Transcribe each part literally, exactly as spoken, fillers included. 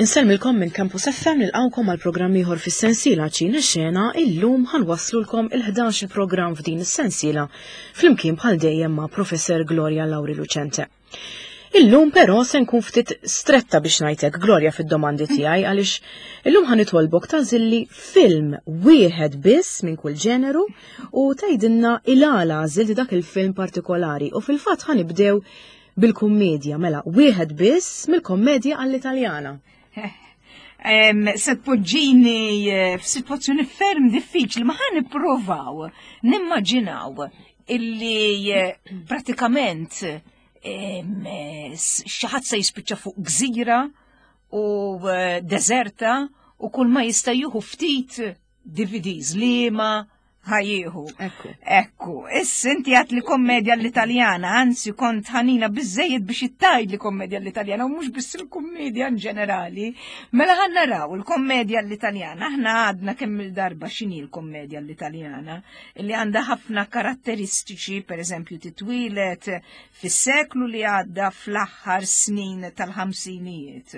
Insellmilkom minn Campus F M, nilqgħukom għal programm ieħor fis-sensiela Ċina Xena. Illum ħa nwasslulkom il-ħdax il-programm f'din is-sensiela flimkien bħal dejjem ma' Professor Gloria Lauri Lucente. Illum però se nkun ftit stretta, biex ngħidlek, Gloria, fid-domandi tiegħi, għaliex illum ħa nitolbok tagħżilli film wieħed biss minn kull ġeneru u tgħidilna il-għala għażilt dak il-film partikolari, u fil-fatt ħa nibdew bil-kummedja, mela wieħed biss mill-kommedja għall-Italjana. Em, se tpoġġini eh, f'sitwazzjoni ferm diffiċli, ma ħa nippruvaw nimmaġinaw illi eh, pratikament em, eh, s- xi ħadd se jispiċċa fuq gżira u eh, deserta u kull ma jista' jieħu ftit D V Ds liema ħa jieħu. Ekku. Ekku, issa inti għedt li kommedja l-Italjana, anzi kont ħanina biżżejjed biex tgħid li kommedja l-Italjana, u mhux biss il-kommedja in ġenerali. Mela ħa naraw il-kommedja l-Italjana, aħna għadna kemm il-darba x'inhi l-kommedja l-Italjana, li għandha ħafna karatteristiċi, per eżempju titwilet fis-seklu li għadda, fl-aħħar snin tal-ħamsinijiet.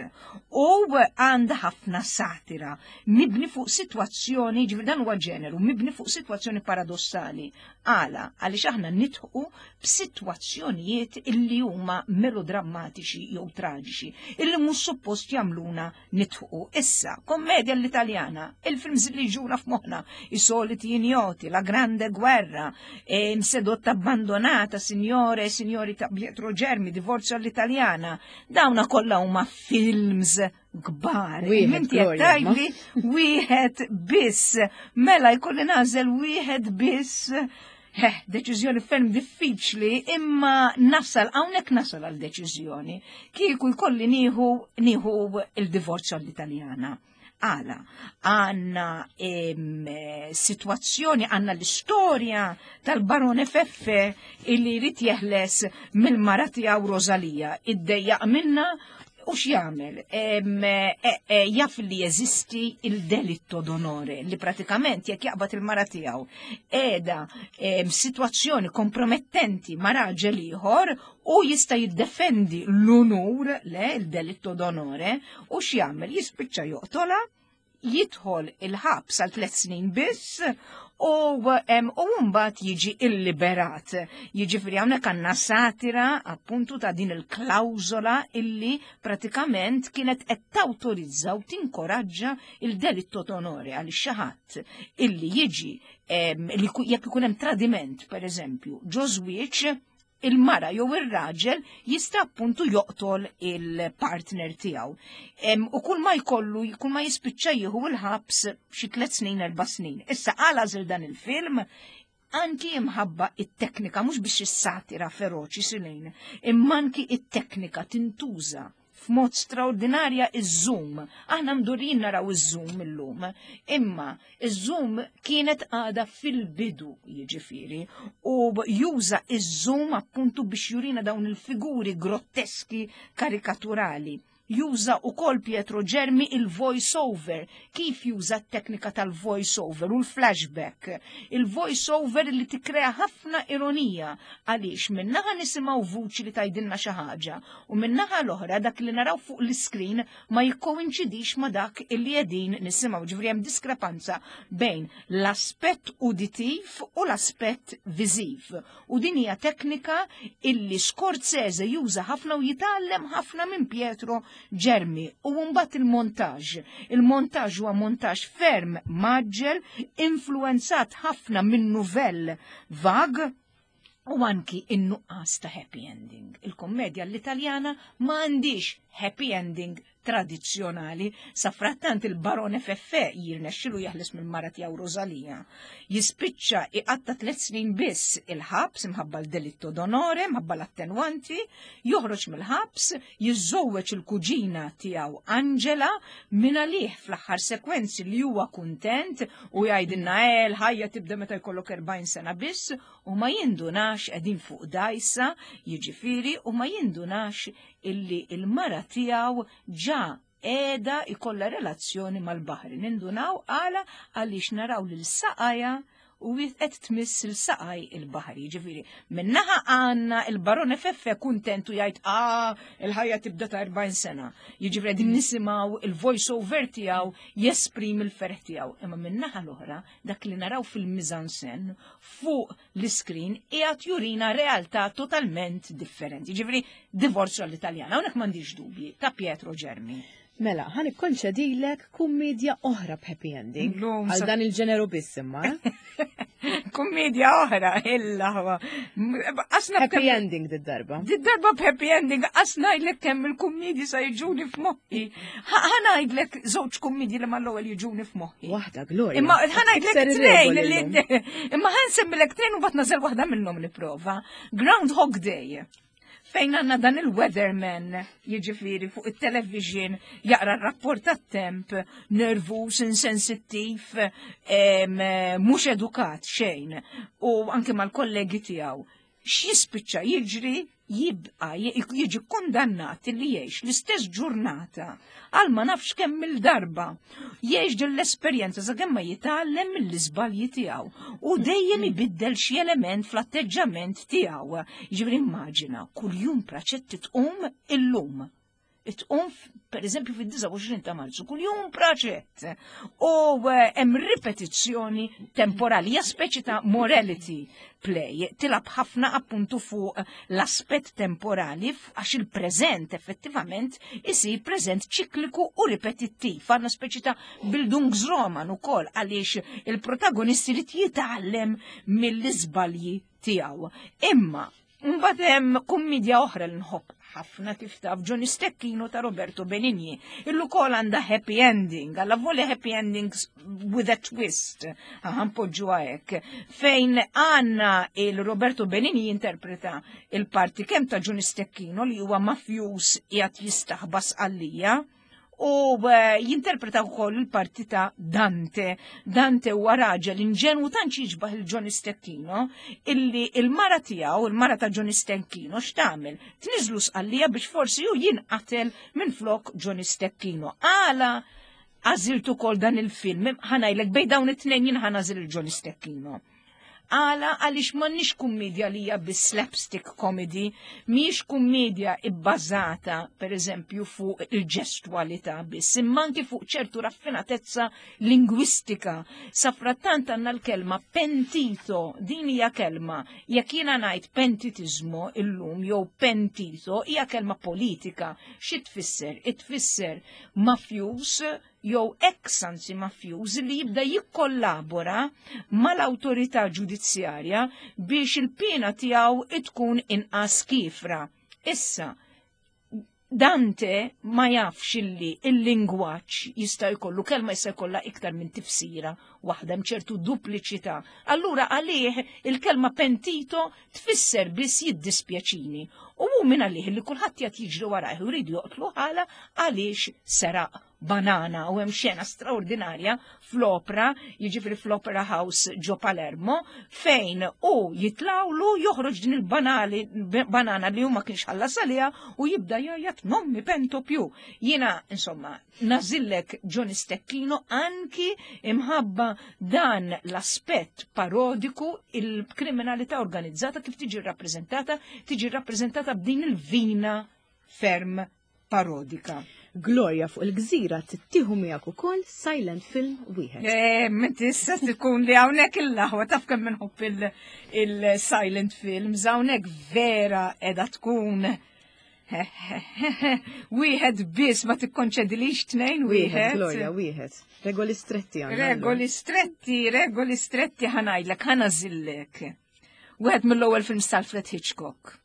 U għandha ħafna satira, mibni fuq situazzjoni, ġifieri dan huwa ġeneru, mibni fuq situazzjoni paradossali. Għala? Għaliex aħna nidħku b'sitwazzjonijiet illi huma melodrammatiċi jew traġiċi, illi mhux suppost jagħmluna nidħku. Issa, kommedja l-Italjana, il-films li ġuna f'moħħna, I soliti ignoti, La grande guerra, e, Sedotta abbandonata, Signore e signori ta' Pietro Germi, Divorzio all'Italiana, dawna kollha huma films kbar. Wieħed, Inti qed Gloria, ma? tgħidli wieħed biss. Mela jkolli nagħżel wieħed biss. Eh, deċiżjoni ferm diffiċli, imma nasal, hawnhekk nasal għal deċiżjoni. Kieku jkolli nieħu nieħu il-Divorzio all'Italjana. Għala, għandna em, situazzjoni, għandna l-istorja tal-barone Feffe illi jrid jeħles mill-mara tiegħu Rosalia. Iddejjaq minna u x'jagħmel? Em, e, e, jaf li jeżisti il-delitto d'onore, li pratikament jekk jaqbad il-mara tiegħu qiegħda em, situazzjoni kompromettenti ma' raġel ieħor, u jista' jiddefendi l-unur, le, il-delitto d'onore, u x'jagħmel? Jispiċċa joqtola, jidħol il-ħabs għal tliet snin biss u em, u mbagħad jiġi illiberat. Jiġifieri hawnhekk għandna satira appuntu ta' din il-klawżola illi pratikament kienet qed tawtorizza u tinkoraġġa il-delitto d'onore, għal xi ħadd illi jiġi em, li ku- jekk ikun hemm tradiment, per eżempju, ġo żwieġ, il-mara jew ir-raġel jista' appuntu joqtol il-partner tiegħu. Em, U kull ma jkollu, kull ma jispiċċa jieħu il-ħabs xi tliet snin, erba' snin. Issa għala għażilt dan il-film? Anki imħabba it-teknika, mhux biex is-satira feroċi silejn, imma anki it-teknika tintuża f'mod straordinarja, iż-zoom. Aħna mdorrijin naraw iż-zoom illum, imma iż-zoom kienet għada fil-bidu, jiġifieri, u juża iż-zoom appuntu biex jurina dawn il-figuri grotteski karikaturali. Juża ukoll Pietro Germi il-voice over, kif juża t-teknika tal-voice over u l-flashback. Il-voice over li tikrea ħafna ironija, għaliex minnaħa nisimgħu vuċi li tgħidilna xi ħaġa u minnaħa l-oħra dak li naraw fuq l-iskrin ma jikkoinċidix ma dak illi qegħdin nisimgħu. Ġifieri hemm diskrepanza bejn l-aspett uditiv u l-aspett viżiv. U din hija teknika illi Scorsese juża ħafna u jitgħallem ħafna minn Pietro Germi. U mbagħad il-montaġ. Il-montaġ huwa montaġ ferm mgħaġġel, influenzat ħafna minn nouvelle vague, u anki in-nuqqas ta' happy ending. Il-kommedja l-Italjana ma għandix happy ending tradizzjonali. Sa frattant il-barone Feffe jirnexxilu jeħles mill-mara tiegħu Rosalia. Jispiċċa iqatta tliet snin biss il-ħabs imħabba l-delitto d'onore, imħabba l-attenwanti, joħroġ mill-ħabs, jiżżewweġ il-kuġina tiegħu Angela, minn għalih fl-aħħar sekwenzi li huwa kuntent u jgħidilna "Eh, l-ħajja tibda meta jkollok erbgħin sena biss", u ma jindunax qegħdin fuq dajsa, jiġifieri, u ma jindunax illi il-mara tiegħu ġa qiegħda ikolla relazzjoni mal-baħri. Nindunaw għala? Għaliex naraw lil saqajha u qed tmiss il-saqaj il-baħar. Jiġifieri, minnaħa għandna il-Barone Feffe kuntent u jgħid, "Ah, il-ħajja tibda ta' erbgħin sena." Jiġifieri din nisimgħu il-voice over tiegħu jesprimi l-ferħ tiegħu. Imma minnaħa l-oħra, dak li naraw fil-mise-en-scène fuq l-iskrin qiegħed jurina realtà totalment differenti. Jiġifieri, Divorzio all'italiana, hawnhekk m'għandix dubji, ta' Pietro Germi. Mela, ħa nikkonċedilek kummedja oħra b'happy ending. Illum Għal sa- dan il-ġeneru biss imma, eh? Kummedja oħra, illa huwa. Asna Happy ending did-darba. Did-darba b'happy ending, asna ngħidlek kemm il-kummedji sa jiġuni f'moħħi. Ħa ngħidlek żewġ kummedji li mal-ewwel jiġuni f'moħħi. Waħda, Gloria. Imma ħa ngħidlek Tikser tnejn ir-regoli li llum. imma ħa nsemmilek tnejn u mbagħad nagħżel waħda minnhom nipprova. Groundhog Day, fejn għandna dan il-weatherman, jiġifieri fuq il-television, jaqra r-rapport tat-temp, nervus, insensittiv, em, mhux edukat xejn, u anke mal-kollegi tiegħu. X'jispiċċa jiġri? Jibqa jiġi kundannat li jgħix l-istess ġurnata għal ma nafx kemm il-darba. Jgħix din l-esperjenza sakemm ma jitgħallem mill-iżbalji tiegħu u dejjem ibiddel xi element fl-atteġġament tiegħu. Jiġifieri immaġina, kuljum praċetti tqum illum. Tqum, per eżempju, fid-disgħa u għoxrin ta' Marzu, kuljum praċett. U eh, hemm ripetizzjoni temporali, hija speċi ta' morality play, tilgħab ħafna appuntu fuq l-aspett temporali għax il-preżent effettivament isir preżent ċikliku u ripetittiv. Għandna speċi ta' Bildungsroman ukoll għaliex il-protagonisti li jitgħallem mill-iżbalji tiegħu. Imma mbagħad hemm kummedja oħra li nħobb ħafna, kif taf, Johnny Stecchino ta' Roberto Benigni. Illu kol għandha happy ending, għalla voli happy endings with a twist, ħa npoġġu hekk, fejn għandna il-Roberto Benigni jinterpreta il-parti kemm ta' Johnny Stecchino li huwa mafjus qiegħed jistaħba Sqallija, u eh, jinterpreta wkoll il-parti ta' Dante. Dante huwa raġel inġenwu tant jiġbaħ il-Johnny Stecchino illi il-mara tiegħu, il-mara ta' Johnny Stecchino, x'tagħmel? Tniżlu Sqallija biex forsi hu jinqatel minn flok Johnny Stecchino. Għala għażilt ukoll dan il-film? Ħa ngħidlek, bejn dawn it-tnejn jien ħa nagħżel il-Johnny Stecchino. Għala? Għaliex m'għandniex kummedja li hija bi slapstick comedy, mhijiex kummedja ibbażata per eżempju fuq il-ġestwalità biss, imma anki fuq ċertu raffinatezza lingwistika. Safrattant għandna l-kelma pentito, din hija kelma, jekk jiena ngħid pentitizmo illum jew pentito, hija kelma politika. Xi tfisser? Itfisser mafjus jew ex anzi mafjuż li jibda jikkollabora mal-awtorità ġudizzjarja biex il-pena tiegħu tkun inqas kifra. Issa, Dante ma jafx illi il-lingwaġġ jista' jkollu kelma jista' jkollha iktar minn tifsira waħda, hemm ċertu dupliċità. Allura għalih il-kelma pentito tfisser biss jiddispjaċini. U hu minn għalih li kulħadd jgħid jiġri warajh u jridu joqtlu ħala għaliex seraq banana. U hemm xena straordinarja fl-opera, jiġifieri fl-Opera House ġo Palermo, fejn u jitlawlu joħroġ din il-banali banana li huma kienx ħallas għaliha u jibda jgħajjat, "Non mi pento più." Jiena insomma nagħżillek Johnny Stecchino anki imħabba dan l-aspett parodiku, il-kriminalità organizzata kif tiġi rappreżentata, tiġi rappreżentata b'din il-vina ferm parodika. Gloria, fuq il-gżira tittieħu miegħek ukoll silent film wieħed. Eh, Menti issa tkun li hawnhekk il-laħwa, taf kemm inħobb il-silent films, hawnhekk vera qiegħda tkun wieħed biss, ma tikkonċedilix tnejn wieħed? Gloria, wieħed. Regoli stretti għandna. Regoli stretti, regoli stretti. Ħa ngħidlek, ħa nagħżillek. Wieħed mill-ewwel films tal-Alfred Hitchcock,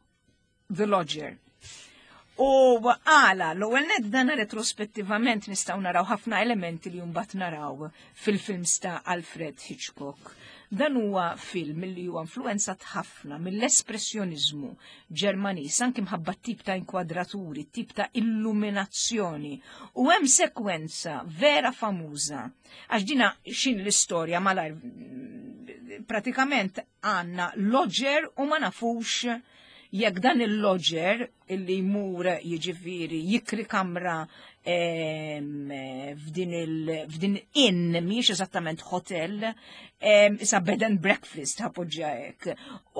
The Lodger. U għala, l-ewwel net dan retrospettivament nistgħu naraw ħafna elementi li mbagħad naraw fil-films ta' Alfred Hitchcock. Dan huwa film li huwa influenzat ħafna mill-espressjonizmu Ġermaniż, anki mħabba tip ta' inkwadraturi, tip ta' illuminazzjoni. U hemm sekwenza vera famuża. Għax dina xin l-istorja malajr? Pratikament għandna lodger u ma nafux jekk dan il-lodger illi jmur, jiġifieri jikri kamra em, f'din il f'din inn mhijiex eżattament hotel, em, issa bed and breakfast ħa npoġġiha hekk.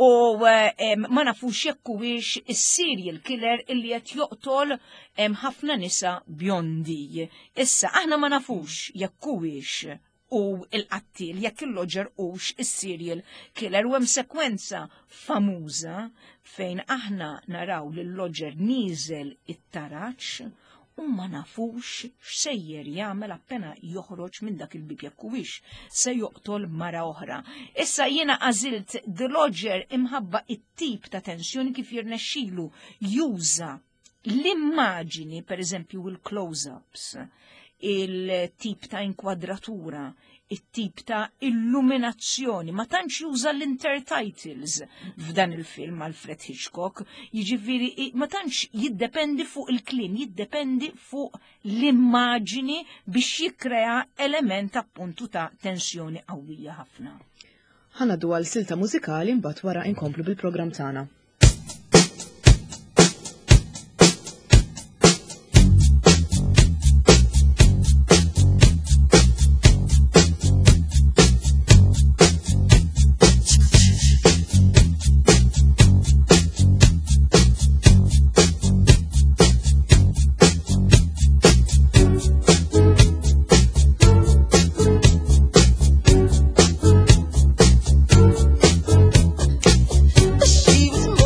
U em, ma nafux jekk huwiex is-serial killer illi qed joqtol em, ħafna nisa bjondi. Issa aħna ma nafux jekk huwiex u il-qattil jekk il-lodger hux is-serial killer u hemm sekwenza famuża fejn aħna naraw lil lodger nieżel it-taraċ u ma nafux x'sejjer jagħmel appena joħroġ minn dak il-bib jekk huwiex se joqtol mara oħra. Issa jiena għażilt The Lodger imħabba it-tip ta' tensjoni kif jirnexxilu juża l-immaġini, per eżempju il-close-ups, il-tip ta' inkwadratura, it-tip ta' illuminazzjoni, ma tantx juża l-intertitles f'dan il-film Alfred Hitchcock, jiġifieri ma tantx jiddependi fuq il-kliem, jiddependi fuq l-immaġini biex jikkrea element appuntu ta' tensjoni qawwija ħafna. Ħa ngħaddu għal silta mużikali mbagħad wara inkomplu bil-programm tagħna. She was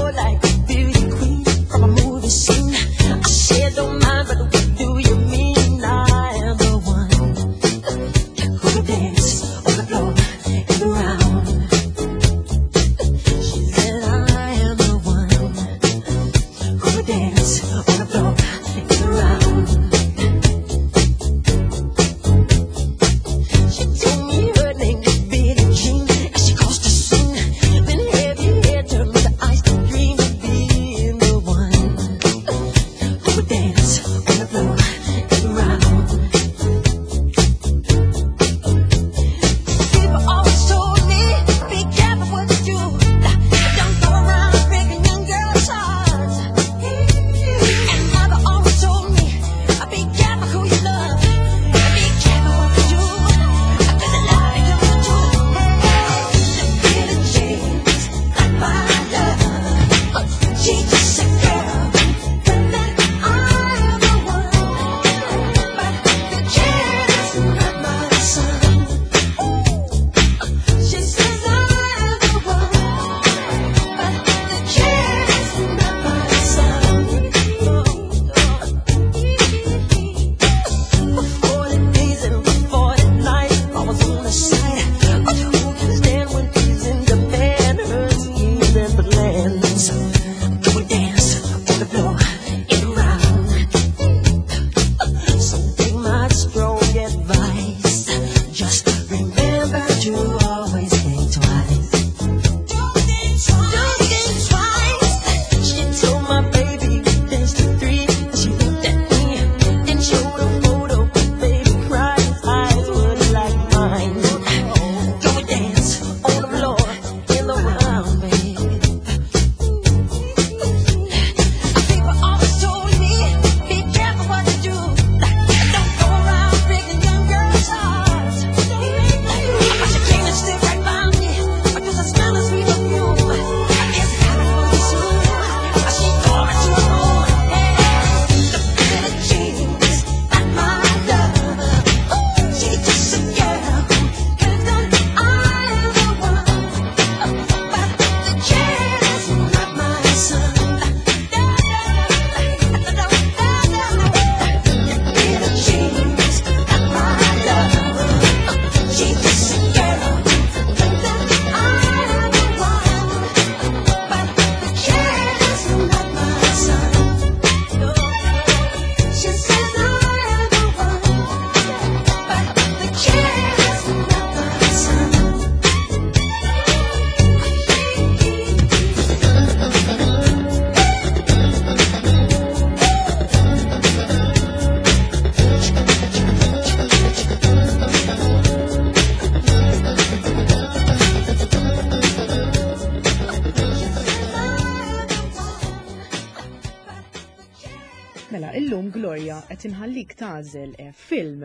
Illum, Gloria, qed inħallik tagħżel eh, film,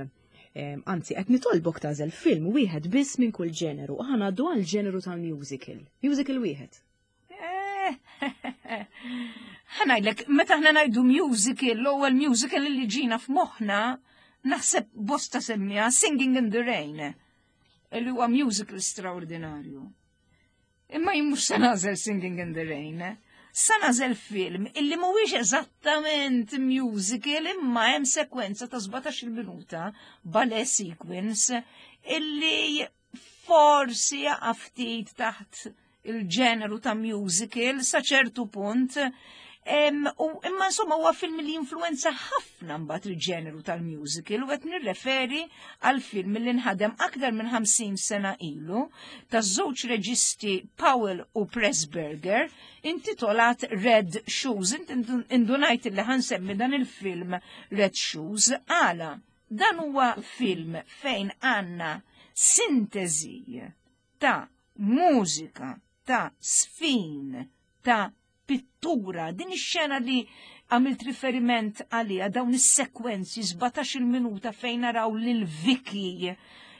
eh, anzi qed nitolbok tagħżel film wieħed biss minn kull ġeneru. U ħa ngħaddu għal ġeneru tal-musical. Musical wieħed. Eh, ħa ngħidlek, meta ħna ngħidu musical, l-ewwel musical li ġina f'moħħna, naħseb bosta semmija Singing in the Rain, li huwa musical straordinarju. Imma jien mhux se nagħżel Singing in the Rain. Se nagħżel film illi mhuwiex eżattament musical, imma hemm sekwenza ta' sbatax-il minuta, ballet sequence, illi forsi jaqa' ftit taħt il-ġeneru ta' musical sa ċertu punt. Em, u imma insomma huwa film li influenza ħafna mbagħad il-ġeneru tal-musical, u qed nirreferi għal film li nħadem aktar minn ħamsin sena ilu taż-żewġ reġisti Powell u Pressburger, intitolat Red Shoes. Int indunajt li ħa nsemmi dan il-film Red Shoes għala? Dan huwa film fejn għandna sintesi ta' mużika, ta' sfin, ta' pittura. Din ix-xena li għamilt riferiment għalija, dawn is-sekwenzi sbatax-il minuta fejn naraw lil Vicky,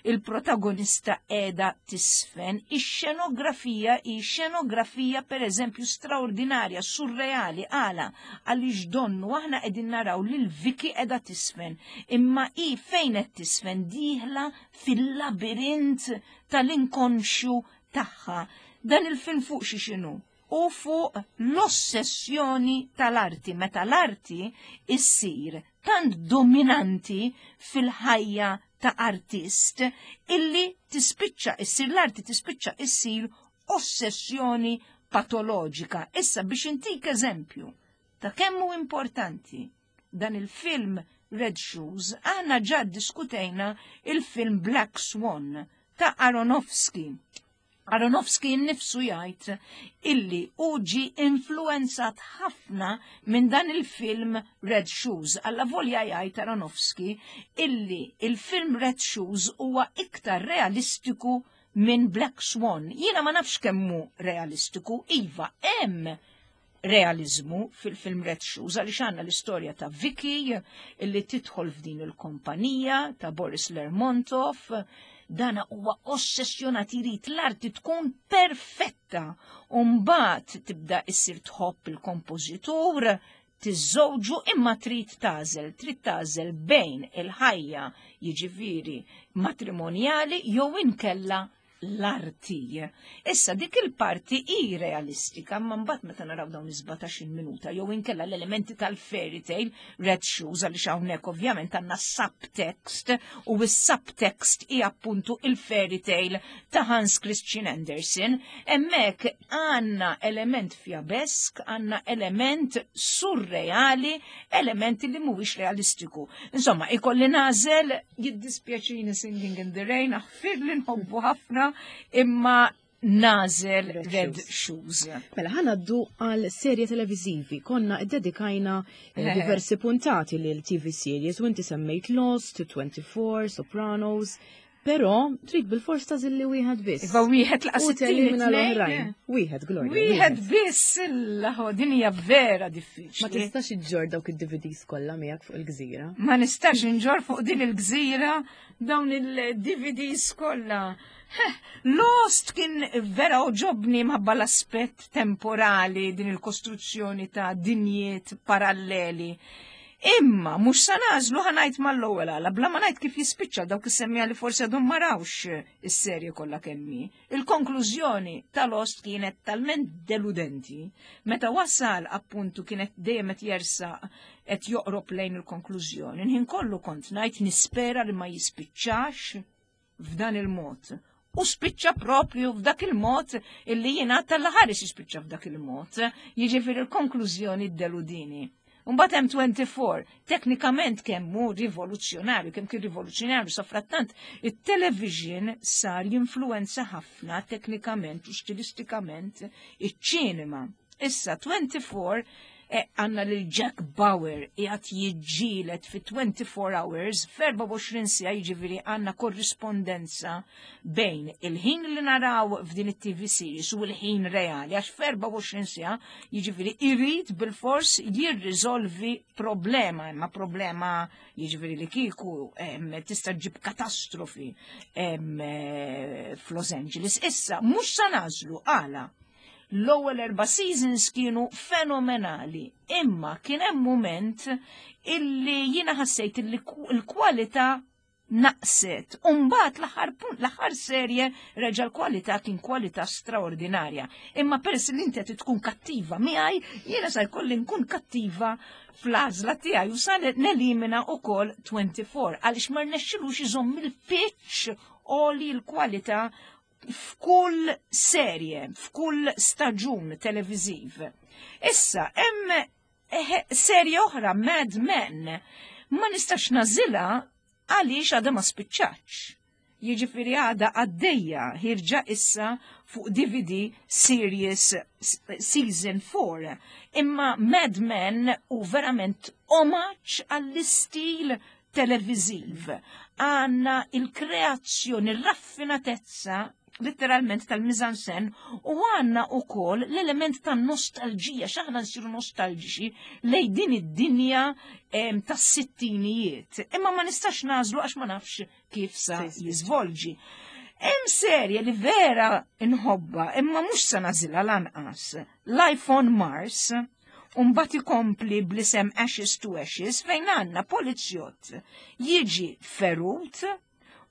il-protagonista, qiegħda tisfen, ix-xenografija hi xenografija per eżempju straordinarja, surreali. Għala? Għaliex donnu aħna qegħdin naraw lil Vicky qiegħda tisfen, imma i fejn qed tisfen? Dieħla fil-labirint tal-inkonxju tagħha. Dan il-film fuq xi xinu? U fuq l-ossessjoni tal-arti, meta l-arti issir tant dominanti fil-ħajja ta' artist illi tispiċċa issir l-arti tispiċċa issir ossessjoni patoloġika. Issa, biex intik eżempju ta' kemm hu importanti dan il-film Red Shoes, aħna ġa diskutejna il-film Black Swan ta' Aronofsky. Aronofsky nnifsu jgħid illi hu ġi influenzat ħafna minn dan il-film Red Shoes. Alla volja jgħid Aronofsky illi il-film Red Shoes huwa iktar realistiku minn Black Swan. Jiena ma nafx kemmu realistiku, iva, hemm realizmu fil-film Red Shoes, għaliex għandna l-istorja ta' Vicky illi tidħol f'din il-kompanija ta' Boris Lermontov. Dana huwa ossessjonat, irid l-arti tkun perfetta. U mbagħad tibda issir tħobb il-kompożitur, tiżżewġu, imma trid tagħżel, trid tagħżel bejn il-ħajja, jiġifieri matrimonjali, jew inkella l-arti. Issa dik il-parti hi realistika, ma mbagħad meta naraw dawn is-sbatax-il minuta jew inkella l-elementi tal-fairy tale Red Shoes, għaliex hawnhekk ovvjament għandna subtext, u s-subtext hi appuntu il-fairy tale ta' Hans Christian Andersen, hemmhekk għandna element fjabesk, għandna element surreali, element li mhuwiex realistiku. Insomma, ikolli nagħżel, jiddispjaċini Singing in the Rain, aħfir li nħobbu ħafna, imma nagħżel Red Red Shoes. Shoes. Mela ħa ngħaddu għal serje televizivi. Konna ddedikajna eh, diversi puntati lil T V series u inti semmejt Lost, twenty-four, Sopranos, però trid bil-fors tagħżilli wieħed biss. Iva, wieħed laqas U telimina it-tieni. l-oħrajn. Wieħed, Gloria. Wieħed biss, il din hija vera diffiċli. Ma tistax iġġor dawk id-D V Ds kollha miegħek fuq il-gżira. Ma nistax inġor fuq din il-gżira dawn il-D V Ds kollha. Heh, Lost kien vera għoġobni minħabba l-aspett temporali, din il-kostruzzjoni ta' dinjiet paralleli. Imma mhux sa nagħżlu, ħa ngħid mal-ewwel għala, bla ma ngħid kif jispiċċa, dawk is-semmija li forsi għadhom ma rawx is-serje kollha kemm hi. Il-konklużjoni ta' Lost kienet talment deludenti, meta wasal appuntu kienet dejjem qed jersaq, qed joqrob lejn il-konklużjoni. Ħin kollu kont ngħid nispera li ma jispiċċax f'dan il-mod. U spiċċa propju f'dak il-mod illi jiena tal-ħares jispiċċa f'dak il-mod. Jiġifieri il-konklużjoni deludini. Mbagħad hemm twenty-four, teknikament kemm hu rivoluzzjonarju, kemm kien rivoluzzjonarju, sa frattant it-television sar jinfluenza ħafna teknikament u stilistikament iċ-ċinema. Issa twenty-four Eh, għandna lil Jack Bauer qiegħed jiġġieled fi twenty-four hours, f'erbgħa u għoxrin siegħa, jiġifieri għandna korrispondenza bejn il-ħin li naraw f'din it-T V series u l-ħin reali, għax f'erbgħa u għoxrin siegħa jiġifieri irid bil-fors jirriżolvi problema, imma problema jiġifieri li kieku tista' ġib katastrofi eh, f'Los Angeles. Issa, mhux sa nagħżlu għala. L-ewwel erba' seasons kienu fenomenali, imma kien hemm moment illi jiena ħassejt illi l-kwalità naqset. Umbagħad l-aħħar punt, l-aħħar serje reġa' l-kwalità kien kwalità straordinarja. Imma peress li inti qed tkun kattiva miegħi, jiena sa jkolli nkun kattiva fl-għażla tiegħi u sa nelimina ukoll twenty-four għaliex ma rnexxilux iżomm il-pitch oli l-kwalità f'kull serje, f'kull staġun televiziv. Issa, hemm eh, serje oħra, Mad Men, ma nistax nagħżilha għaliex għadha ma spiċċatx. Jiġifieri għadha għaddejja, ħierġa issa fuq D V D Series Season four. Imma Mad Men u verament omaġġ għall-istil televiziv. Għandna il-kreazzjoni, il-raffinatezza letteralment tal-mise-en-scène u għandna ukoll l-element ta' nostalġija, x'aħna nsiru nostalġiċi lej din id-dinja tas sittinijiet. Imma ma nistax nagħżlu għax ma nafx kif sa jiżvolġi. Hemm serje li vera nħobbha, imma mhux sa nagħżilha lanqas. Life on Mars, Umbat ikompli bl-isem Ashes to Ashes, fejn għandna polizjott jiġi ferut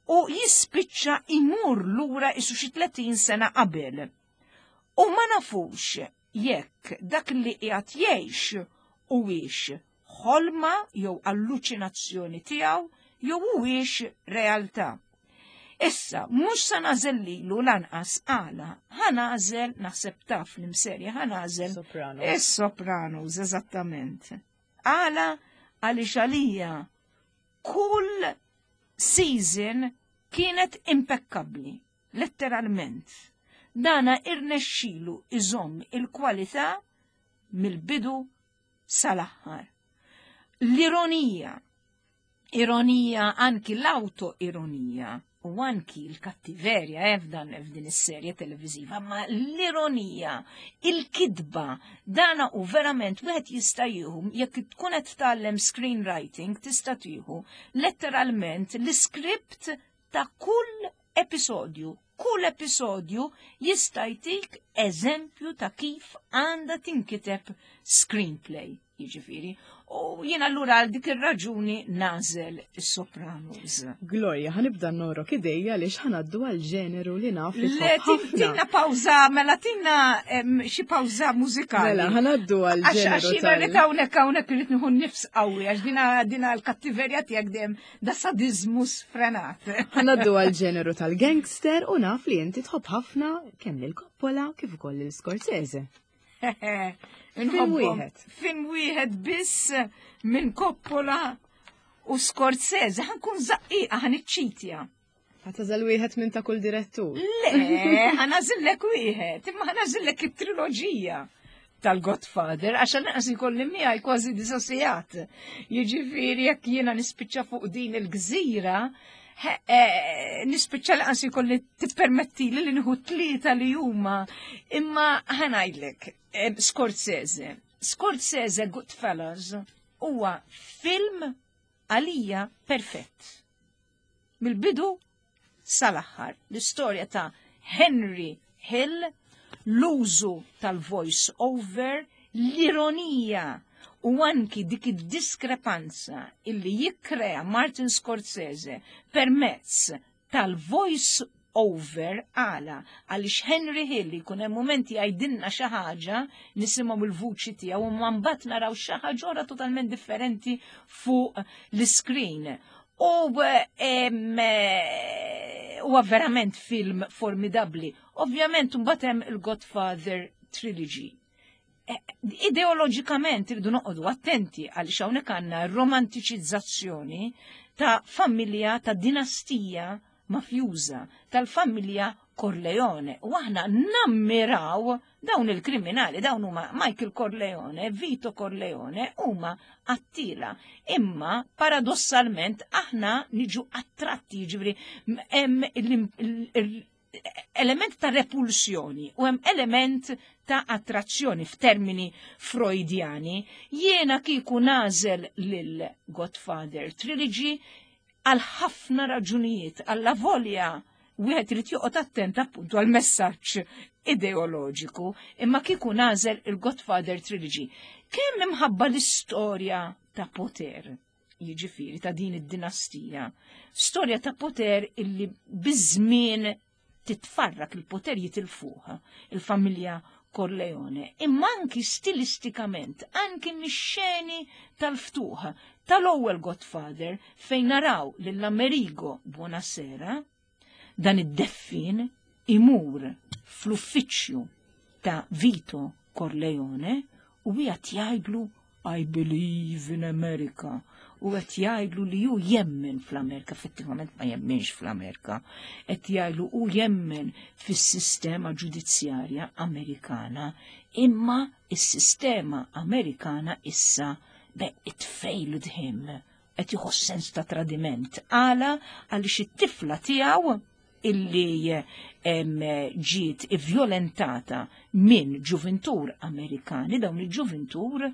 u jispiċċa imur lura isu xi tletin sena qabel. U ma nafux jekk dak li qiegħed jgħix huwiex ħolma jew alluċinazzjoni tiegħu jew huwiex realtà. Issa, mhux sa nagħżel lilu lanqas. Għala, ħa nagħżel, naħseb taf l-imserja, ħa nagħżel. Sopranos. Is-Sopranos, eżattament. Għala, għaliex għalija kull season kienet impeccabli, letteralment. Dana irnexxilu iżomm il-kwalità mill-bidu sal-aħħar. L-ironija, ironija, anki l-auto-ironija u anki l-kattiverja eh, f'dan f'din is-serje televiżiva, ma l-ironija, il-kidba, dana u verament wieħed jista' jieħu, jekk tkun qed tgħallem screenwriting, tista' tieħu letteralment l-iskript ta' kull episodju. Kull episodju jista' jtik eżempju ta' kif għandha tinkiteb screenplay, jiġifieri. U jien allura għal dik ir-raġuni nagħżel is-Sopranos. Gloria, ħa nibda nogħrok idejja għaliex ħa ngħaddu għal ġeneru li naf li Le, tħobb ħafna. Tina pawza, mela tina em, xi pawza mużikali. Mela, ħa ngħaddu għal Għax ġeneru għax jiena tal- rrid hawnhekk hawnhekk irrid nieħu nifs qawwi għax dina dina l-kattiverja tiegħek dejjem da sadizmu sfrenat. Ħa ngħaddu għal ġeneru tal-gangster u naf li inti tħobb ħafna kemm lil Coppola kif ukoll lil Scorsese. Inħobbhom. Wieħed. Film wieħed biss minn Coppola u Scorsese. Ħa nkun żaqqiqa, ħa niċċitja. Ħa tagħżel wieħed minn ta' kull direttur. Le, ħa nagħżillek wieħed, imma ħa nagħżillek it-triloġija tal-Godfather, għax lanqas ikolli miegħi kważi disa' sigħat. Jiġifieri jekk jiena nispiċċa fuq din il-gżira, he- eh, nispiċċa lanqas ikolli tippermetti li li nieħu tlieta li huma. Imma ħa ngħidlek, eh, Scorsese. Scorsese Goodfellas huwa film għalija perfett. Mill-bidu sal-aħħar. L-istorja ta' Henry Hill, l-użu tal-voice over, l-ironija u anki dik id-diskrepanza illi jikkrea Martin Scorsese permezz tal-voice over. Għala? Għaliex Henry Hill jkun hemm momenti jgħidilna xi ħaġa, nisimgħu il-vuċi tiegħu u ma mbagħad naraw xi ħaġa oħra totalment differenti fuq l-screen. U em, eh, huwa verament film formidabli. Ovvjament mbagħad hemm il-Godfather Trilogy. Eh, Ideoloġikament irridu noqogħdu attenti għaliex hawnhekk għandna romantiċizzazzjoni ta' familja, ta' dinastija mafjuża tal-familja Corleone. U aħna nammiraw dawn il-kriminali, dawn huma Michael Corleone, Vito Corleone, huma qattila. Imma paradossalment aħna niġu attratti, ġifieri hemm element ta' repulsjoni u hemm element ta' attrazzjoni f'termini Freudjani. Jiena kieku nagħżel lil Godfather Trilogy għal ħafna raġunijiet, għallavolja wieħed irid joqgħod attent appuntu għal messaġġ ideoloġiku, imma kieku nagħżel il-Godfather Trilogy. Kemm imħabba l-istorja ta' poter, jiġifieri ta' din id-dinastija, storja ta' poter illi biż-żmien titfarrak, il-poter jitilfuha il-familja Corleone, imma anki stilistikament, anki mix-xeni tal-ftuħ tal-ewwel Godfather fejn naraw lil Amerigo Bonasera, dan id-deffin, imur fl-uffiċċju ta' Vito Corleone u qed jgħidlu "I believe in America" u qed jgħidlu li hu jemmen fl-Amerika, effettivament ma jemmenx fl-Amerika, qed jgħidlu hu jemmen fis-sistema ġudizzjarja Amerikana, imma is-sistema Amerikana issa be it failed him, qed jieħu sens ta' tradiment. Għala? Għaliex it-tifla tiegħu illi ġiet violentata minn ġuventur Amerikani, dawn il-ġuventur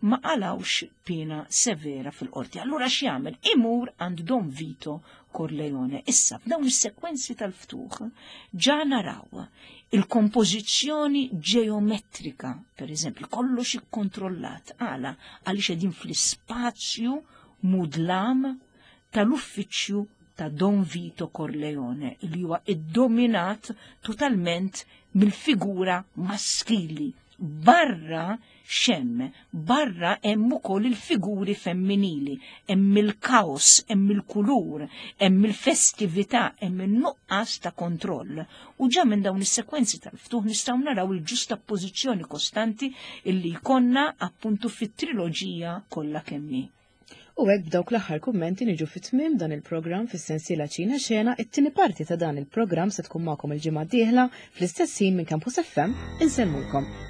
ma qalawx pena severa fil-qorti. Allura x'jagħmel? Imur għand Don Vito Corleone. Issa, f'dawn is-sekwenzi tal-ftuħ ġa naraw il-kompożizzjoni ġeometrika, per eżempju, kollox ikkontrollat. Għala? Għaliex qegħdin fl-ispazju mudlam tal-uffiċċju ta' Don Vito Corleone, li huwa iddominat totalment mill-figura maskili. Barra xem, barra hemm ukoll il-figuri femminili, hemm il-kaos, hemm il-kulur, hemm il-festività, hemm in-nuqqas ta' kontroll. U ġa minn dawn is-sekwenzi tal-ftuħ nistgħu naraw il-ġustappożizzjoni kostanti illi jkollna appuntu fit-triloġija kollha kemm hi. U hekk b'dawk l-aħħar kummenti niġu fit-tmiem dan il-programm fis-sensiela Ċina Xena. It-tieni parti ta' dan il-programm se tkun magħkom il-ġimgħa d-dieħla fl-istess ħin minn Campus F M. Insellmulkom.